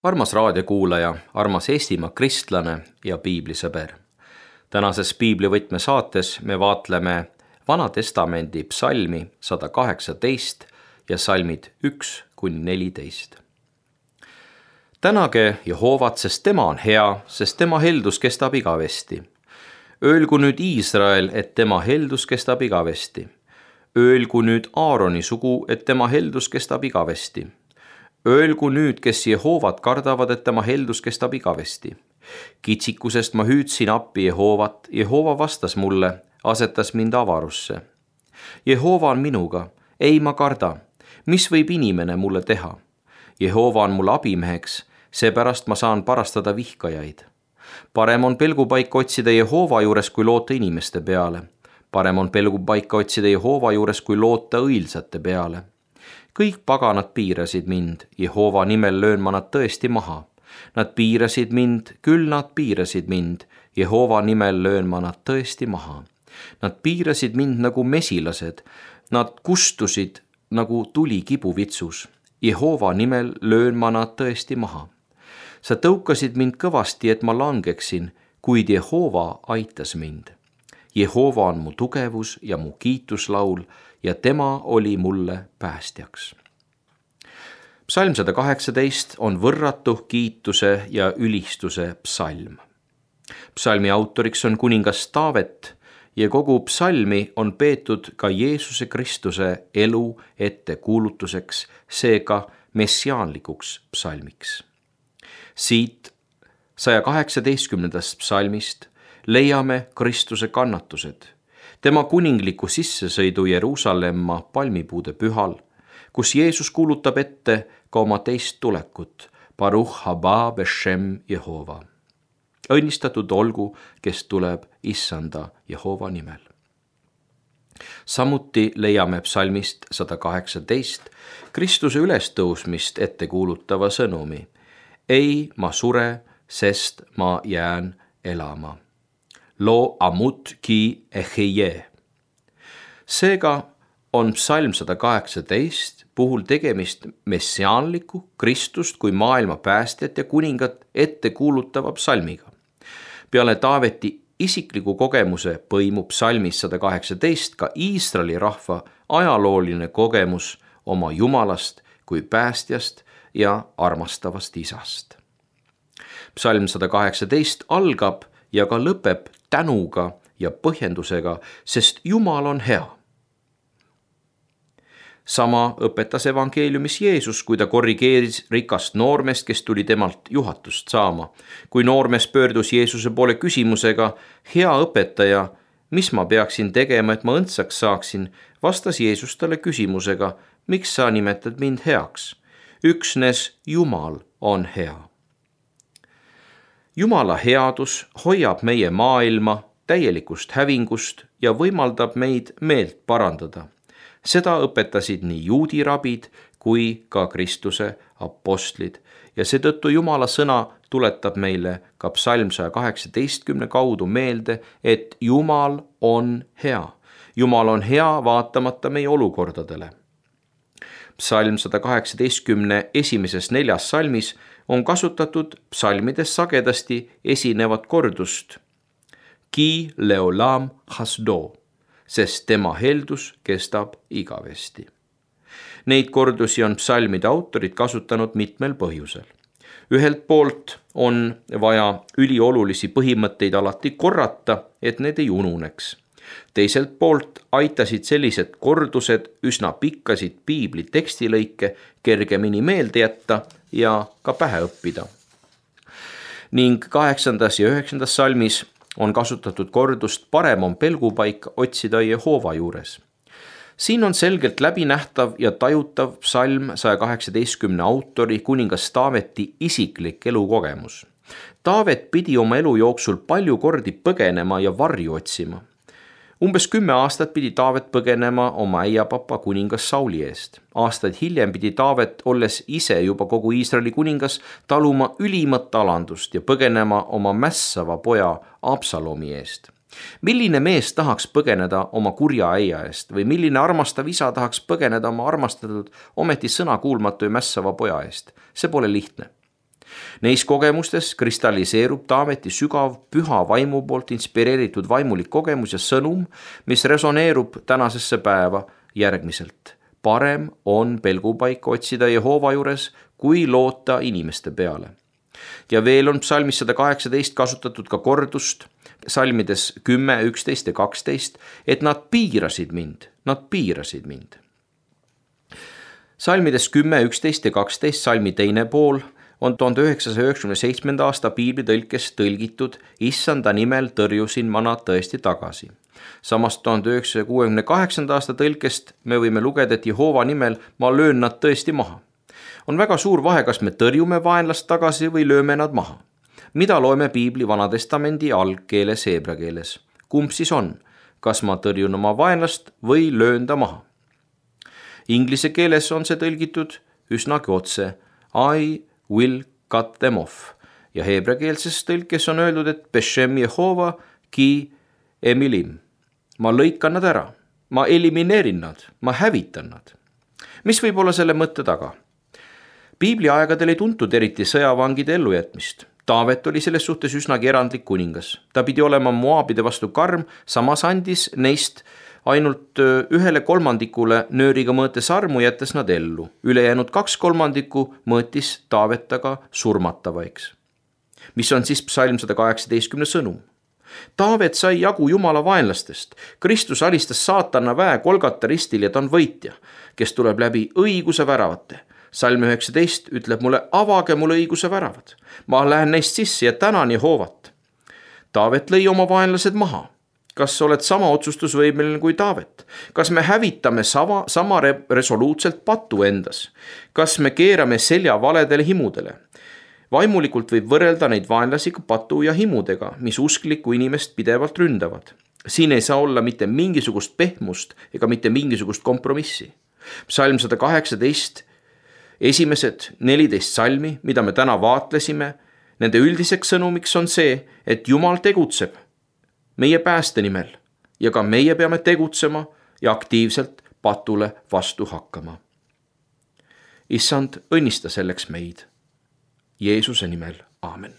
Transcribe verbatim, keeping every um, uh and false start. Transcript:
Armas raadiokuulaja, armas Eestimaa kristlane ja piiblisõber. Tänases piiblivõtme saates me vaatleme Vana Testamendi psalmi sada kaheksateist ja salmid üks kuni neliteist. Tänage Jehoovat, sest tema on hea, sest tema heldus kestab igavesti. Öelgu nüüd Iisrael, et tema heldus kestab igavesti. Öelgu nüüd Aaroni sugu, et tema heldus kestab igavesti. Öelgu nüüd, kes Jehovat kardavad, et tema heldus kestab igavesti. Kitsikusest ma hüüdsin appi Jehovat, Jehova vastas mulle, asetas mind avarusse. Jehova on minuga, ei ma karda, mis võib inimene mulle teha? Jehova on mul abimeheks, seepärast ma saan parastada vihkajaid. Parem on pelgupaika otsida Jehova juures, kui loota inimeste peale. Parem on pelgupaika otsida Jehova juures, kui loota õilsate peale. Kõik paganad piirasid mind, Jehova nimel löön ma nad tõesti maha. Nad piirasid mind, küll nad piirasid mind, Jehova nimel löön ma nad tõesti maha. Nad piirasid mind nagu mesilased, nad kustusid nagu tuli kibuvitsus, Jehova nimel löön ma nad tõesti maha. Sa tõukasid mind kõvasti, et ma langeksin, kuid Jehova aitas mind. Jehova on mu tugevus ja mu kiituslaul ja tema oli mulle päästjaks. Psalm sada kaheksateist on võrratu kiituse ja ülistuse psalm. Psalmi autoriks on kuningas Taavet ja kogu psalmi on peetud ka Jeesuse Kristuse elu ettekuulutuseks, seega messiaanlikuks psalmiks. Siit saja kaheksateistkümnendast psalmist leiame Kristuse kannatused, tema kuningliku sissesõidu Jeruusalemma palmipuude pühal, kus Jeesus kuulutab ette ka oma teist tulekut, Baruch haba beshem Jehova. Õnnistatud olgu, kes tuleb issanda Jehova nimel. Samuti leiame psalmist sada kaheksateist Kristuse ülestõusmist ette kuulutava sõnumi. Ei, ma sure, sest ma jään elama. Lo amut ki eheje. Seega on psalm sada kaheksateist puhul tegemist messiaanliku Kristust kui maailma päästjat ja kuningat ette kuulutava psalmiga. Peale Taaveti isikliku kogemuse põimub psalmis sada kaheksateist ka Iisraeli rahva ajalooline kogemus oma Jumalast kui päästjast ja armastavast isast. Psalm sada kaheksateist algab ja ka lõpeb tänuga ja põhjendusega, sest Jumal on hea. Sama õpetas evangeeliumis Jeesus, kui ta korrigeeris rikast noormest, kes tuli temalt juhatust saama. Kui noormes pöördus Jeesuse poole küsimusega, hea õpetaja, mis ma peaksin tegema, et ma õndsaks saaksin, vastas Jeesus talle küsimusega, miks sa nimetad mind heaks? Üksnes Jumal on hea. Jumala headus hoiab meie maailma täielikust hävingust ja võimaldab meid meelt parandada. Seda õpetasid nii juudi rabid kui ka Kristuse apostlid ja seetõttu Jumala sõna tuletab meile ka psalm saja kaheksateistkümne kaudu meelde, et Jumal on hea. Jumal on hea vaatamata meie olukordadele. Psalm sada kaheksateistkümne esimeses neljas salmis on kasutatud psalmides sagedasti esinevat kordust Ki leolam hasdo, sest tema heldus kestab igavesti. Neid kordusi on psalmide autorid kasutanud mitmel põhjusel. Ühelt poolt on vaja üliolulisi põhimõtteid alati korrata, et need ei ununeks. Teiselt poolt aitasid sellised kordused üsna pikkasid piibli tekstilõike kergemini meelde jätta ja ka pähe õppida. Ning kaheksandas ja üheksandas salmis on kasutatud kordust parem on pelgupaik otsida Jehova juures. Siin on selgelt läbinähtav ja tajutav psalm saja kaheksateistkümne autori kuningas Taaveti isiklik elukogemus. Taavet pidi oma elu jooksul palju kordi põgenema ja varju otsima. Umbes kümme aastat pidi Taavet põgenema oma äiapapa kuningas Sauli eest. Aastaid hiljem pidi Taavet, olles ise juba kogu Iisraeli kuningas, taluma ülimat alandust ja põgenema oma mässava poja Absalomi eest. Milline mees tahaks põgeneda oma kurja äia eest või milline armastav isa tahaks põgeneda oma armastatud, ometi sõnakuulmatu ja mässava poja eest? See pole lihtne. Neis kogemustes kristalliseerub Taaveti sügav püha vaimu poolt inspireeritud vaimulik kogemus ja sõnum, mis resoneerub tänasesse päeva järgmiselt. Parem on pelgupaika otsida Jehova juures, kui loota inimeste peale. Ja veel on psalmis sada kaheksateist kasutatud ka kordust, salmides kümme, üksteist ja kaksteist, et nad piirasid mind, nad piirasid mind. Salmides kümme, üksteist ja kaksteist, salmi teine pool, on tuhande üheksasaja üheksakümne seitsmenda aasta piiblitõlkes tõlgitud Issanda nimel tõrjusin ma nad tõesti tagasi. Samas tuhande üheksasaja kuuekümne kaheksanda aasta tõlkest me võime lugeda, et Jehova nimel ma löön nad tõesti maha. On väga suur vahe, kas me tõrjume vaenlast tagasi või lööme nad maha. Mida loeme piibli Vanatestamendi algkeeles heebra keeles? Kumb siis on? Kas ma tõrjun oma vaenlast või löön ta maha? Inglise keeles on see tõlgitud üsnagi otse I will cut them off ja heebreakeelses tõlkes on öeldud, et Beshem Jehova ki emilim. Ma lõikan nad ära, ma elimineerin nad, ma hävitan nad. Mis võib olla selle mõtte taga? Piibli aegadel ei tuntud eriti sõjavangide ellujätmist. Taavet oli selles suhtes üsnagi erandlik kuningas. Ta pidi olema Moabide vastu karm, samas andis neist ainult ühele kolmandikule nööriga mõõtes armu, jättes nad ellu. Ülejäänud kaks kolmandikku mõõtis Taavet aga surmatavaiks. Mis on siis psalm sada kaheksateistkümne sõnum? Taavet sai jagu Jumala vaenlastest. Kristus alistas saatana väe Golgata ristil ja ta on võitja, kes tuleb läbi õiguse väravate. Salm üheksateist ütleb mulle, avage mulle õiguse väravad. Ma lähen neist sisse ja tänan Jehovat. Taavet lõi oma vaenlased maha. Kas oled sama otsustusvõimeline kui Taavet? Kas me hävitame sama, sama resoluutselt patu endas? Kas me keerame selja valedele himudele? Vaimulikult võib võrrelda neid vaenlasi patu ja himudega, mis usklikku inimest pidevalt ründavad. Siin ei saa olla mitte mingisugust pehmust ega mitte mingisugust kompromissi. Psalm sada kaheksateist, esimesed neliteist salmi, mida me täna vaatlesime, nende üldiseks sõnumiks on see, et Jumal tegutseb meie pääste nimel ja ka meie peame tegutsema ja aktiivselt patule vastu hakkama. Issand, õnnista selleks meid. Jeesuse nimel, aamen.